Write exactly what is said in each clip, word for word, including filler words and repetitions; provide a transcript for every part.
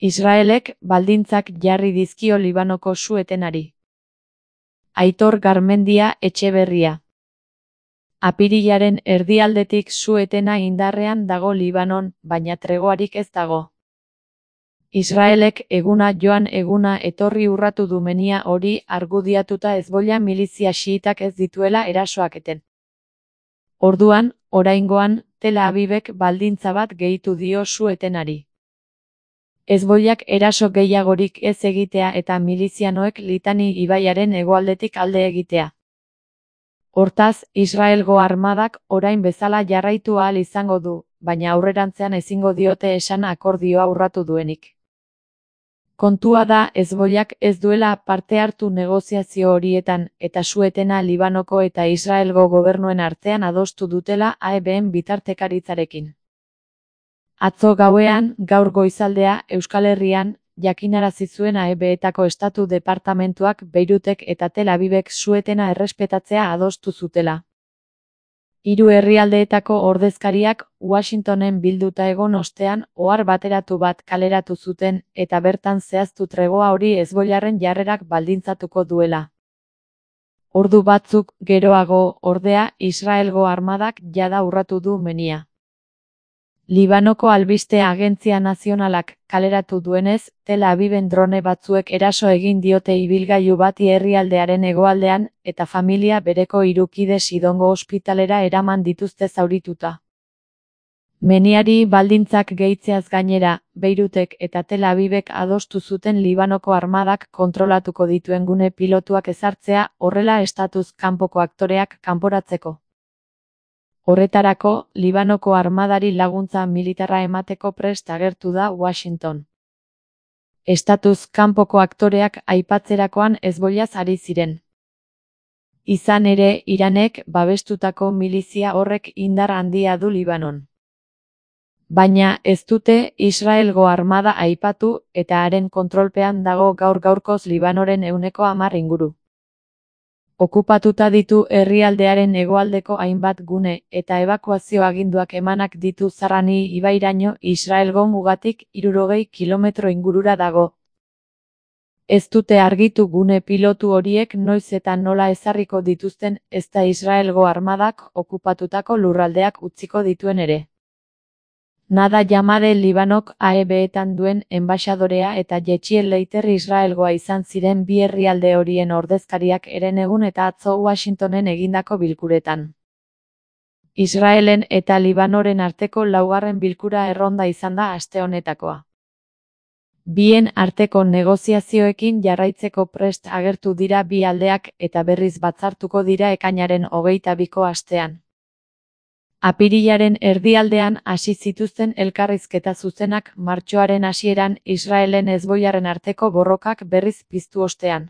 Israelek baldintzak jarri dizkio Libanoko su-etenari. Aitor Garmendia Etxeberria. Apirilaren erdialdetik su-etena indarrean dago Libanon, baina tregoarik ez dago. Israelek eguna joan eguna etorri urratu du menia hori argudiatuta Hezbollah milizia xiitak ez dituela erasoak eten. Orduan, oraingoan, Tel Avivek baldintza bat gehitu dio su-etenari. Hezbollak eraso gehiagorik ez egitea eta milizianoek Litani ibaiaren hegoaldetik alde egitea. Hortaz, Israelgo armadak orain bezala jarraitu ahal izango du, baina aurrerantzean ezingo diote esan akordioa urratu duenik. Kontua da Hezbollak ez duela parte hartu negoziazio horietan eta su-etena Libanoko eta Israelgo gobernuen artean adostu dutela A E B-en bitartekaritzarekin. Atzo gauean, gaur goizaldea, Euskal Herrian, jakinarazi zuen A E B-etako estatu departamentuak Beirutek eta Tel Avivek su-etena errespetatzea adostu zutela. Hiru herrialdeetako ordezkariak Washingtonen bilduta egon ostean ohar bateratu bat kaleratu zuten eta bertan zehaztu tregoa hori Hezbollaren jarrerak baldintzatuko duela. Ordu batzuk geroago, ordea, Israelgo armadak jada urratu du menia. Libanoko albiste agentzia nazionalak kaleratu duenez, Tel Aviven drone batzuek eraso egin diote ibilgailu bati herrialdearen hegoaldean eta familia bereko hiru kide Sidongo ospitalera eraman dituzte zaurituta. Meniari baldintzak gehitzeaz gainera, Beirutek eta Tel Avivek adostu zuten Libanoko armadak kontrolatuko dituen gune pilotuak ezartzea horrela estatuz kanpoko aktoreak kanporatzeko. Horretarako, Libanoko armadari laguntza militarra emateko prest agertu da Washington. Estatuz kanpoko aktoreak aipatzerakoan Hezbollaz ari ziren. Izan ere, Iranek babestutako milizia horrek indar handia du Libanon. Baina ez dute Israelgo armada aipatu eta haren kontrolpean dago gaur gaurkoz Libanoren ehuneko hamar inguru. Okupatuta ditu herrialdearen hegoaldeko hainbat gune eta ebakuazio aginduak emanak ditu Zarrani ibairaino Israelgo mugatik hirurogei kilometro ingurura dago. Ez dute argitu gune pilotu horiek noiz eta nola ezarriko dituzten ezta Israelgo armadak okupatutako lurraldeak utziko dituen ere. Nada Jamade Libanok A E B-etan duen enbaxadorea eta Yechiel Leiter Israelgoa izan ziren bi herrialde horien ordezkariak herenegun eta atzo Washingtonen egindako bilkuretan. Israelen eta Libanoren arteko laugarren bilkura erronda izan da aste honetakoa. Bien arteko negoziazioekin jarraitzeko prest agertu dira bi aldeak eta berriz batzartuko dira ekainaren hogeita biko astean. Apirilaren erdialdean hasi zituzten elkarrizketa zuzenak martxoaren hasieran Israelen Hezbollaren arteko borrokak berriz piztu ostean.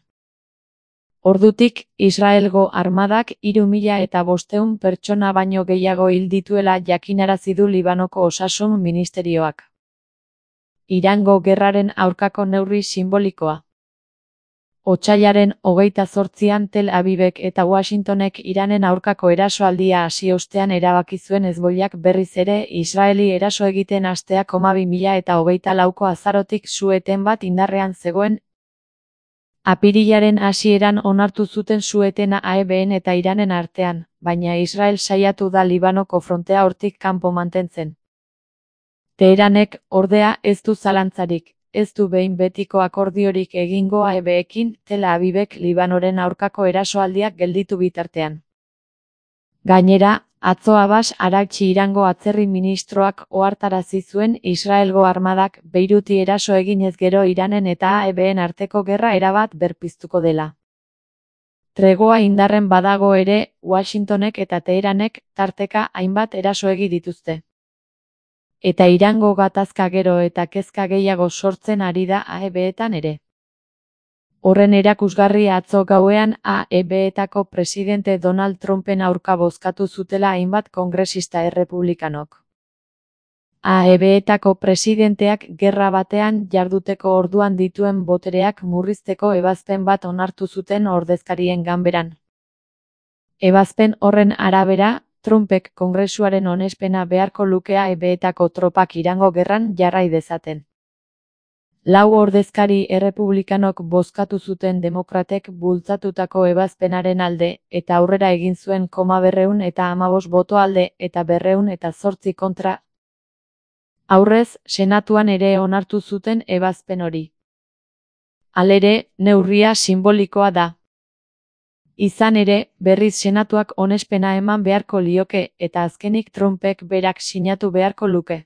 Ordutik, Israelgo armadak hiru mila eta bostehun pertsona baino gehiago hil dituela jakinarazi du Libanoko osasun ministerioak. Irango gerraren aurkako neurri sinbolikoa. Otsailaren hogeita zortzian Tel Avivek eta Washingtonek Iranen aurkako erasoaldia hasi ostean erabaki zuen Hezbollak berriz ere Israeli eraso egiten hastea koma bi mila eta hogeita lauko azarotik su-eten bat indarrean zegoen. Apirilaren hasieran onartu zuten su-etena A E B-en eta Iranen artean, baina Israel saiatu da Libanoko frontea hortik kanpo mantentzen. Teheranek, ordea, ez du zalantzarik. Ez du behin betiko akordiorik egingo A E B-ekin, Tel Avivek Libanoren aurkako erasoaldiak gelditu bitartean. Gainera, atzo Abbas Araghchi Irango atzerri ministroak ohartarazi zuen Israelgo armadak Beiruti eraso eginez gero Iranen eta A E B-en arteko gerra erabat berpiztuko dela. Tregoa indarren badago ere, Washingtonek eta Teheranek tarteka hainbat eraso egi dituzte. Eta Irango gatazka gero eta kezka gehiago sortzen ari da A E B-etan ere. Horren erakusgarri atzo gauean A E B-etako presidente Donald Trumpen aurka bozkatu zutela hainbat kongresista errepublikanok. A E B-etako presidenteak gerra batean jarduteko orduan dituen botereak murrizteko ebazpen bat onartu zuten ordezkarien ganberan. Ebazpen horren arabera, Trumpek kongresuaren onespena beharko luke A E B-etako tropak Irango gerran jarrai dezaten. Lau ordezkari errepublikanok bozkatu zuten demokratek bultzatutako ebazpenaren alde, eta aurrera egin zuen koma berrehun eta hamabost boto alde eta berrehun eta zortzi kontra. Aurrez, Senatuan ere onartu zuten ebazpen hori. Halere, neurria sinbolikoa da. Izan ere, berriz Senatuak onespena eman beharko lioke eta azkenik Trumpek berak sinatu beharko luke.